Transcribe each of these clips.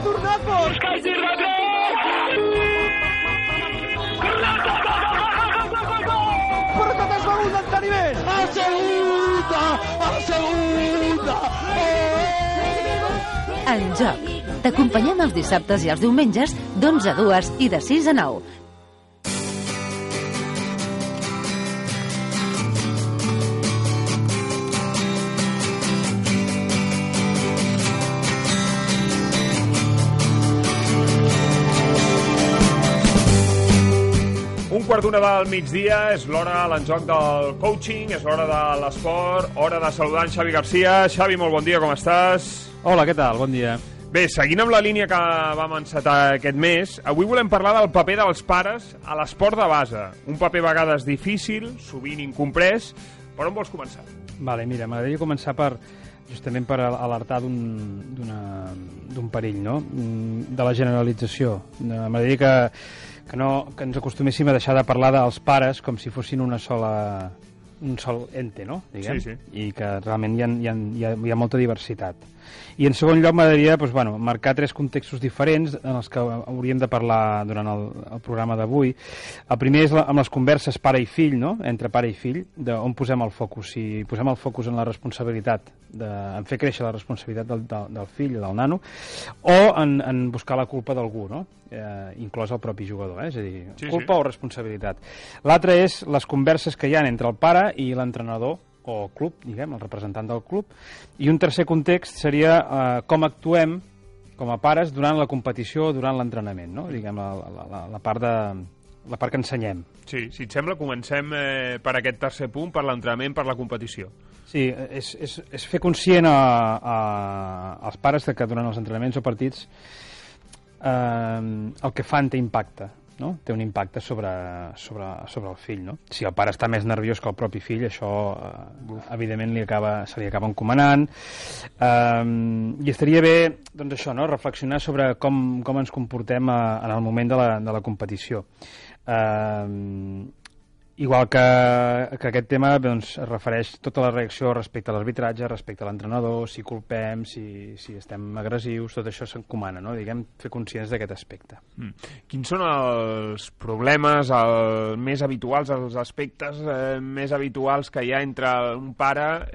Tornacos! Però tot es va un enteniment! A segunda! A segunda! En Joc. T'acompanyem els dissabtes i els diumenges d'11 a 2 i de 6 a 9. Quart d'una del migdia, és l'hora a l'enjoc del coaching, és l'hora de l'esport, hora de saludar en Xavi Garcia. Xavi, molt bon dia, com estàs? Hola, què tal? Bon dia. Bé, seguint amb la línia que vam encetar aquest mes, avui volem parlar del paper dels pares a l'esport de base. Un paper a vegades difícil, sovint incomprès. Per on vols començar? Vale, mira, m'agradaria començar justament per alertar d'un perill, no? De la generalització. M'agradaria que ens acostuméssim a deixar de parlar dels pares com si fossin un sol ente, no? Diguem? Sí. I que realment hi ha molta diversitat. I en segon lloc m'agradaria marcar 3 contextos diferents en els que hauríem de parlar durant el programa d'avui. El primer és amb les converses pare i fill, no? Entre pare i fill, on posem el focus. Si posem el focus en la responsabilitat, en fer créixer la responsabilitat del fill o del nano, o en buscar la culpa d'algú, no? Inclòs el propi jugador, és a dir, culpa o responsabilitat. L'altre és les converses que hi ha entre el pare i l'entrenador o club, diguem, el representant del club, i un tercer context seria com actuem com a pares durant la competició o durant l'entrenament, no? Diguem, la part que ensenyem. Sí, si et sembla, comencem per aquest tercer punt, per l'entrenament, per la competició. Sí, és fer conscient als pares que durant els entrenaments o partits el que fan té impacte, no? Té un impacte sobre el fill, no? Si el pare està més nerviós que el propi fill, això evidentment se li acaba encomanant, i estaria bé, doncs això, no? Reflexionar sobre com ens comportem en el moment de la competició. Igual que aquest tema doncs, es refereix tota la reacció respecte a l'arbitratge, respecte a l'entrenador, si culpem, si estem agressius, tot això s'encomana, no? Diguem, fer conscients d'aquest aspecte. Quins són els problemes més habituals, els aspectes més habituals que hi ha entre un pare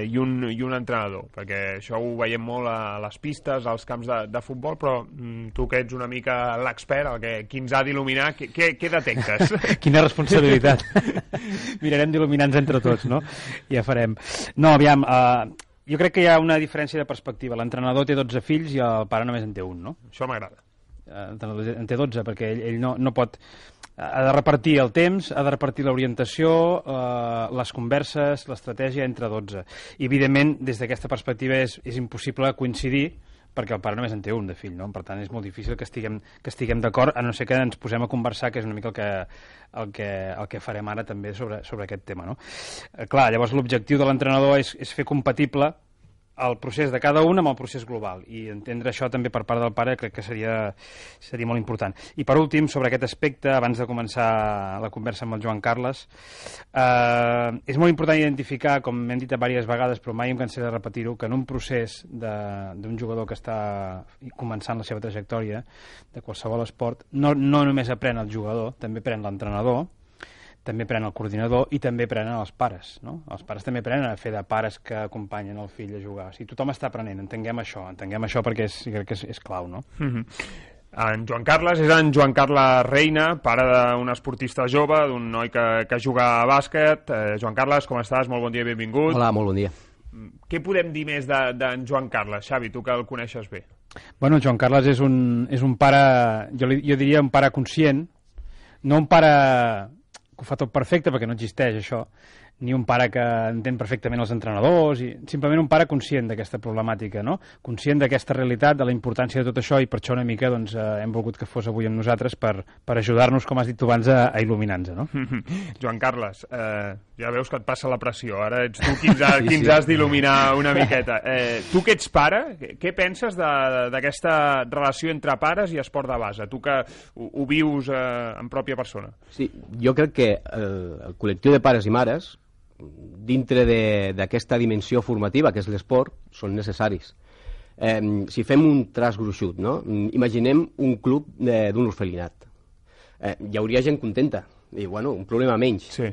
i un entrenador? Perquè això ho veiem molt a les pistes, als camps de futbol, però tu que ets una mica l'expert, qui ens ha d'il·luminar, què detectes? Quina responsabilitat. Mirarem d'il·luminar-nos entre tots, no? Ja farem. No, aviam, jo crec que hi ha una diferència de perspectiva. L'entrenador té 12 fills i el pare només en té un, no? Això m'agrada. En té 12, perquè ell no pot... Ha de repartir el temps, ha de repartir l'orientació, les converses, l'estratègia entre 12. I, evidentment, des d'aquesta perspectiva és impossible coincidir perquè el pare només en té un de fill, no? Per tant, és molt difícil que estiguem d'acord, a no ser que ens posem a conversar, que és una mica el que farem ara també sobre aquest tema, no? Clar, llavors l'objectiu de l'entrenador és fer compatible el procés de cada un amb el procés global, i entendre això també per part del pare crec que seria molt important. I per últim, sobre aquest aspecte, abans de començar la conversa amb el Joan Carles, és molt important identificar, com hem dit diverses vegades, però mai em cansaré de repetir-ho, que en un procés d'un jugador que està començant la seva trajectòria de qualsevol esport, no només aprèn el jugador, també aprèn l'entrenador, també prenen el coordinador i també prenen els pares, no? Els pares també prenen a fer de pares que acompanyen el fill a jugar. O sigui, tothom està aprenent, entenguem això perquè crec que és clau, no? En Joan Carles és en Joan Carles Reina, pare d'un esportista jove, d'un noi que juga a bàsquet. Joan Carles, com estàs? Molt bon dia i benvingut. Hola, molt bon dia. Què podem dir més d'en Joan Carles, Xavi, tu que el coneixes bé? Bueno, Joan Carles és un pare, jo diria un pare conscient, no un pare que ho fa tot perfecte, perquè no existeix això, ni un pare que entén perfectament els entrenadors, i simplement un pare conscient d'aquesta problemàtica, no? Conscient d'aquesta realitat, de la importància de tot això, i per això una mica doncs, hem volgut que fos avui amb nosaltres per ajudar-nos, com has dit tu abans, a il·luminar-nos, no? Joan Carles, ja veus que et passa la pressió, ara ets tu qui ens has d'il·luminar una miqueta. Tu que ets pare, què penses d'aquesta relació entre pares i esport de base? Tu que ho vius en pròpia persona. Sí, jo crec que el col·lectiu de pares i mares, dintre d'aquesta dimensió formativa que és l'esport, són necessaris. Si fem un traç gruixut, no? Imaginem un club d'un orfelinat. Hi hauria gent contenta. I, bueno, un problema menys. Sí.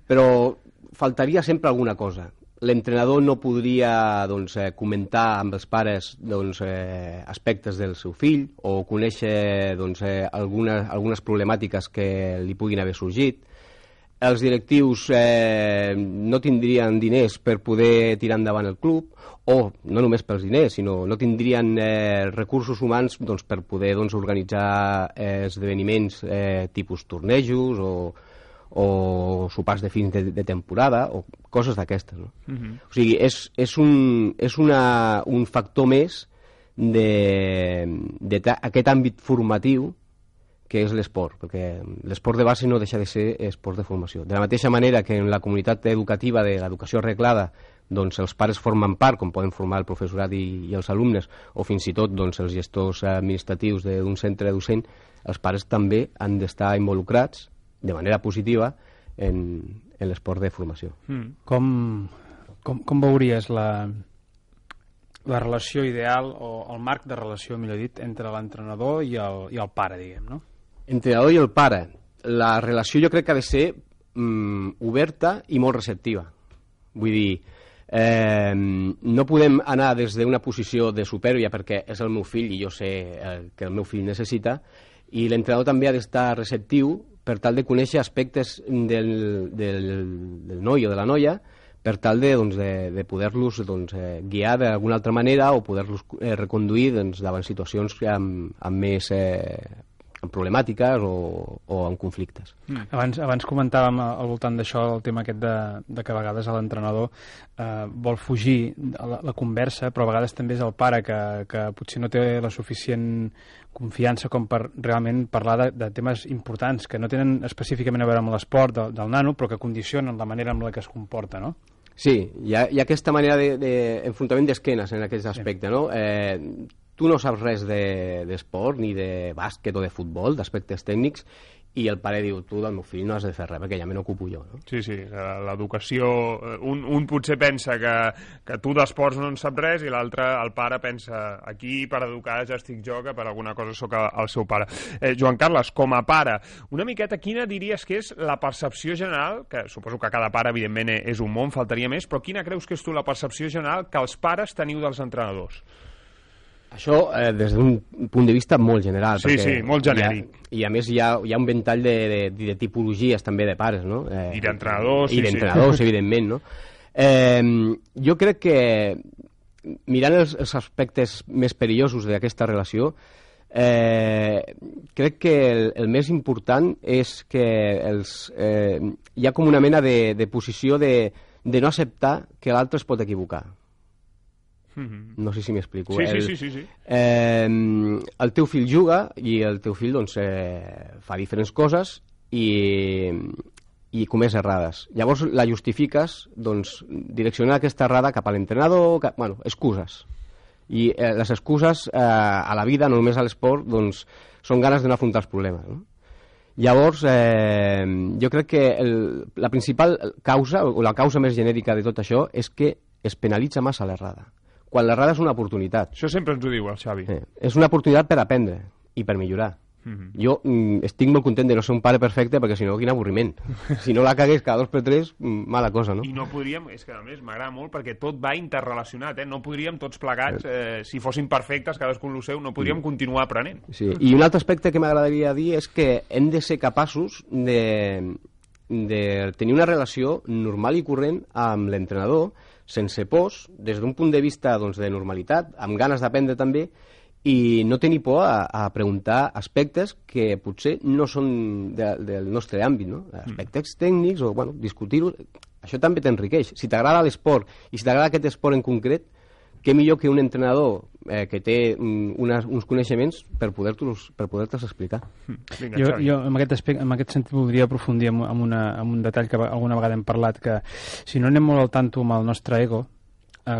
Però faltaria sempre alguna cosa. L'entrenador no podria comentar amb els pares aspectes del seu fill o conèixer algunes problemàtiques que li puguin haver sorgit. Els directius no tindrien diners per poder tirar endavant el club, o no només pels diners, sinó no tindrien recursos humans per poder organitzar esdeveniments tipus tornejos o sopars de fins de temporada o coses d'aquestes, no? O sigui, és un factor més d'aquest àmbit formatiu que és l'esport, perquè l'esport de base no deixa de ser esport de formació. De la mateixa manera que en la comunitat educativa de l'educació arreglada els pares formen part, com poden formar el professorat i els alumnes, o fins i tot els gestors administratius d'un centre docent, els pares també han d'estar involucrats de manera positiva en l'esport de formació. Com veuries la relació ideal o el marc de relació, millor dit, entre l'entrenador i el pare, diguem, no? Entrenador i el pare. La relació jo crec que ha de ser oberta i molt receptiva. Vull dir, no podem anar des d'una posició de supèrbia perquè és el meu fill i jo sé que el meu fill necessita, i l'entrenador també ha d'estar receptiu per tal de conèixer aspectes del noi o de la noia, per tal de poder-los guiar d'alguna altra manera o poder-los reconduir davant situacions amb més problemàtiques o amb conflictes. Abans comentàvem al voltant d'això el tema aquest de que a vegades l'entrenador vol fugir la conversa, però a vegades també és el pare que potser no té la suficient confiança com per realment parlar de temes importants que no tenen específicament a veure amb l'esport del nano, però que condicionen la manera amb la que es comporta, no? Sí, hi ha aquesta manera d'enfrontament d'esquenes en aquest aspecte, no? Tu no saps res d'esport, ni de bàsquet o de futbol, d'aspectes tècnics, i el pare diu, tu del meu fill no has de fer res perquè ja me n'ocupo jo, no? Sí, L'educació, un potser pensa que tu d'esports no en saps res i l'altre, el pare, pensa aquí per educar ja estic jo, que per alguna cosa sóc el seu pare. Joan Carles, com a pare, una miqueta quina diries que és la percepció general, que suposo que cada pare evidentment és un món, faltaria més, però quina creus que és tu la percepció general que els pares teniu dels entrenadors? Això des d'un punt de vista molt general. Sí, molt genèric. I a més hi ha un ventall de tipologies també de pares, no? I d'entrenadors. I d'entrenadors, evidentment, no? Jo crec que, mirant els aspectes més perillosos d'aquesta relació, crec que el més important és que hi ha com una mena de posició de no acceptar que l'altre es pot equivocar. No sé si m'explico. Sí. El teu fill juga i el teu fill fa diferents coses i comès errades. Llavors la justifiques direccionant aquesta errada cap a l'entrenador, excuses. I les excuses a la vida, no només a l'esport, són ganes de no afrontar els problemes, no? Llavors, jo crec que la principal causa, o la causa més genèrica de tot això, és que es penalitza massa l'errada. Quan l'errada és una oportunitat. Això sempre ens ho diu el Xavi. És una oportunitat per aprendre i per millorar. Jo estic molt content de no ser un pare perfecte perquè si no, quin avorriment. Si no la cagués cada 2 per 3, mala cosa, no? I no podríem, és que a més m'agrada molt perquè tot va interrelacionat, no podríem tots plegats, si fossin perfectes, cadascun el seu, no podríem continuar aprenent. Sí. I un altre aspecte que m'agradaria dir és que hem de ser capaços de tenir una relació normal i corrent amb l'entrenador, sense pors, des d'un punt de vista de normalitat, amb ganes d'aprendre també, i no tenir por a preguntar aspectes que potser no són del nostre àmbit, no? Aspectes tècnics o discutir-ho, això també t'enriqueix. Si t'agrada l'esport i si t'agrada aquest esport en concret, què millor que un entrenador que té uns coneixements per poder-te'ls explicar. Jo en aquest sentit voldria aprofundir en un detall que alguna vegada hem parlat, que si no anem molt al tanto amb el nostre ego,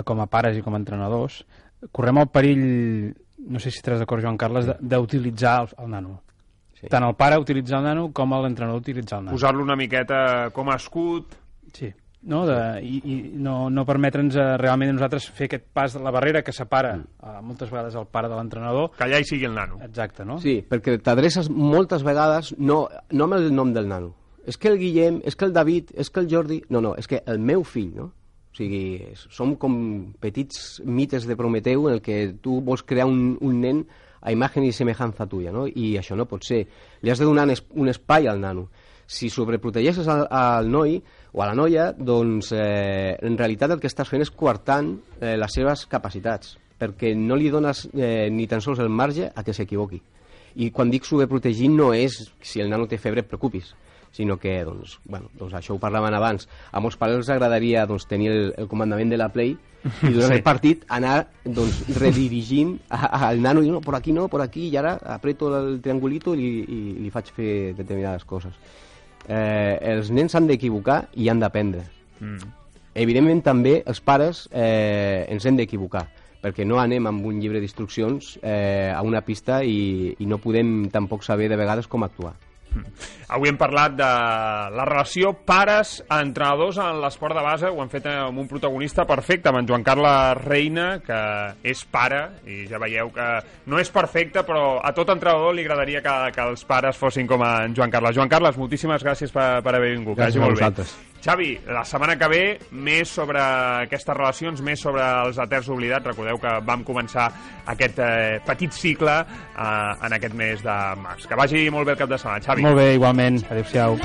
com a pares i com a entrenadors, correm el perill, no sé si estaràs d'acord, Joan Carles, d'utilitzar el nano. Sí. Tant el pare utilitzar el nano com l'entrenador utilitzar el nano. Posar-lo una miqueta com a escut. Sí. no? I no permetre'ns realment a nosaltres fer aquest pas de la barrera que separa moltes vegades el pare de l'entrenador. Que allà hi sigui el nano. Exacte, no? Sí, perquè t'adreces moltes vegades no amb el nom del nano. És que el Guillem, és que el David, és que el Jordi... No, és que el meu fill, no? O sigui, som com petits mites de Prometeu en el que tu vols crear un nen a imagen i semejança tuya, no? I això no pot ser. Li has de donar un espai al nano. Si sobreprotegeixes al noi o a la noia, doncs en realitat el que estàs fent és coartant les seves capacitats, perquè no li dones ni tan sols el marge a que s'equivoqui. I quan dic sobreprotegir no és si el nano té febre et preocupis, sinó que, doncs això ho parlaven abans, a molts pares els agradaria tenir el comandament de la Play i durant el partit anar redirigint al nano i no, por aquí, i ara apreto el triangulito i li faig fer determinades coses. Els nens s'han d'equivocar i han d'aprendre. Evidentment també els pares ens hem d'equivocar, perquè no anem amb un llibre d'instruccions a una pista i no podem tampoc saber de vegades com actuar. Avui hem parlat de la relació pares-entrenadors en l'esport de base. Ho hem fet amb un protagonista perfecte, amb en Joan Carles Reina, que és pare, i ja veieu que no és perfecte, però a tot entrenador li agradaria que els pares fossin com en Joan Carles. Joan Carles, moltíssimes gràcies per haver vingut. Gràcies a vosaltres. Xavi, la setmana que ve, més sobre aquestes relacions, més sobre els Eterns Oblidats. Recordeu que vam començar aquest petit cicle en aquest mes de març. Que vagi molt bé el cap de setmana, Xavi. Molt bé, igualment. Adéu-siau.